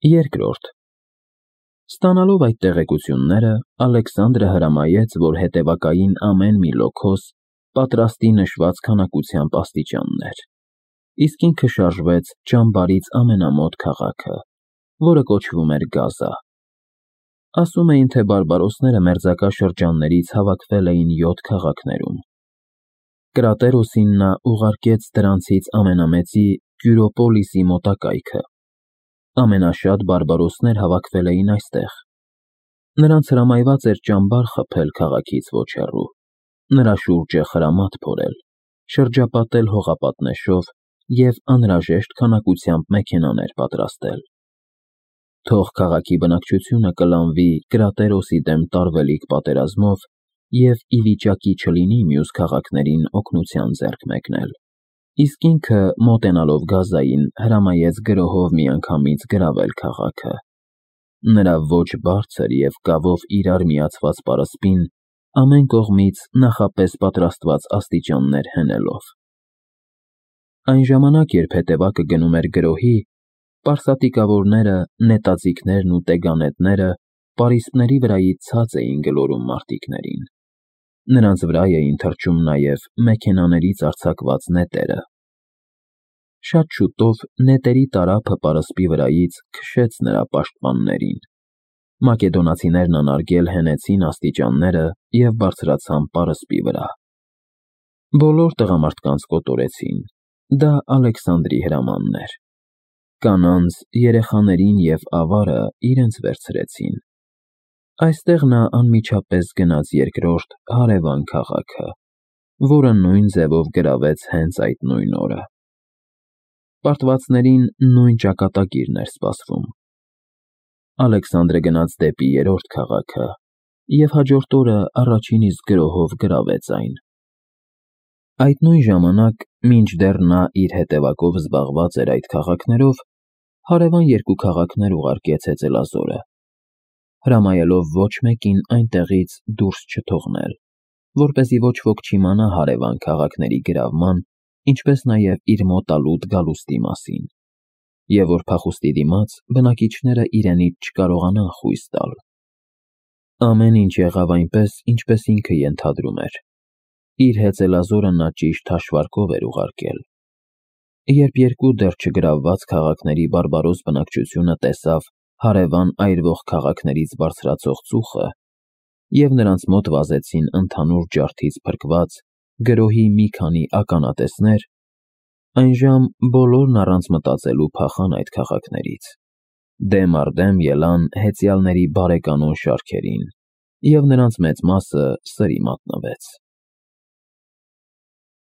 Երկրորդ Ստանալով այդ տեղեկությունները, Ալեքսանդրը հրամայեց, որ հետևակային ամեն մի լոքոս պատրաստի նշված քանակությամբ աստիճաններ, իսկ ինքը շարժվեց ճամբարից ամենամոտ քաղաքը, որը կոչվում էր Գազա։ Ասում էին, թե բարբարոսները մերձակա շրջաններից հավաքվել էին 7 քաղաքներում։ Կրատերոսին նա ուղարկեց դրանցից ամենամեծի Կյուրոպոլիսի մոտակայքը։ Ամենաշատ բարբարոսներ հավաքվել էին այստեղ։ Նրանց հրամայված էր ճամբար խփել քաղաքից ոչ հեռու, նրա շուրջը խրամատ փորել, շրջապատել հողապատնեշով և անհրաժեշտ քանակությամբ մեքենաներ պատրաստել։ Թող քաղաքի բնակչությունը կլանվի Կրատերոսի դեմ տարվելիք պատերազմով և ի վիճակի չլինի մյուս քաղաքներին օգնության ձեռք մեկնել։ Իսկ ինքը, մոտենալով Գազային, հրամայեց գրոհով միանգամից գրավել քաղաքը, նրա ոչ բարձր և կավով իրար միացված պարսպին ամեն կողմից նախապես պատրաստված աստիճաններ հենելով։ Այն ժամանակ, երբ հետևակը գնում էր գրոհի, պարսատիկավորները, նետաձիգներն ու տեգանետները պարիսպների վրայից ցած էին գլորում մարտիկներին։ Նրանց վրա էին թռչում նաև մեքենաներից արձակված նետերը։ Շատ շուտով նետերի տարափը պարսպի վրայից քշեց նրա պաշտպաններին։ Մակեդոնացիներն անարգել հենեցին աստիճանները և բարձրացան պարսպի վրա։ Բոլոր տղամարդկանց կոտորեցին, դա Ալեքսանդրի հրամանն էր։ Կանանց, երեխաներին և ավարը իրենց վերցրեցին։ Այստեղ նա անմիջապես գնաց երկրորդ հարևան քաղաքը, որը նույն ձևով գրավեց հենց այդ նույն օրը։ Պարտվածներին նույն ճակատագիրն էր սպասվում։ Ալեքսանդրը գնաց դեպի երրորդ քաղաքը և հաջորդ օրը առաջին իսկ գրոհով գրավեց այն։ Այդ նույն ժամանակ, մինչդեռ նա իր հետևակով զբաղված էր այդ քաղաքներով, հարևան երկու քաղաքներ ուղարկեց հեծելազորը, հրամայելով ոչ մեկին այնտեղից դուրս չթողնել, որպեսզի ոչ ոք չիմանա հարևան քաղաքների գրավման, ինչպես նաև իր մոտալուտ գալուստի մասին, և որ փախուստի դիմաց բնակիչները իրենից չկարողանան խույս տալ։ Ամեն ինչ եղավ այնպես, ինչպես ինքը ենթադրում էր։ Իր հեծելազորը նա ճիշտ հաշվարկով էր ուղարկել։ Երբ երկու դեռ չգրավված քաղաքների բարբարոս բնակչությունը տեսավ հարևան այրվող քաղաքներից բարձրացող ծուխը, և նրանց մոտ վազեցին ընդհանուր ջարդից փրկված գրոհի մի քանի ականատեսներ, այնժամ բոլորն առանց մտածելու փախան այդ քաղաքներից, դեմ առ դեմ ելան հեծյալների բարեկանոն շարքերին, և նրանց մեծ մասը սրի մատնվեց։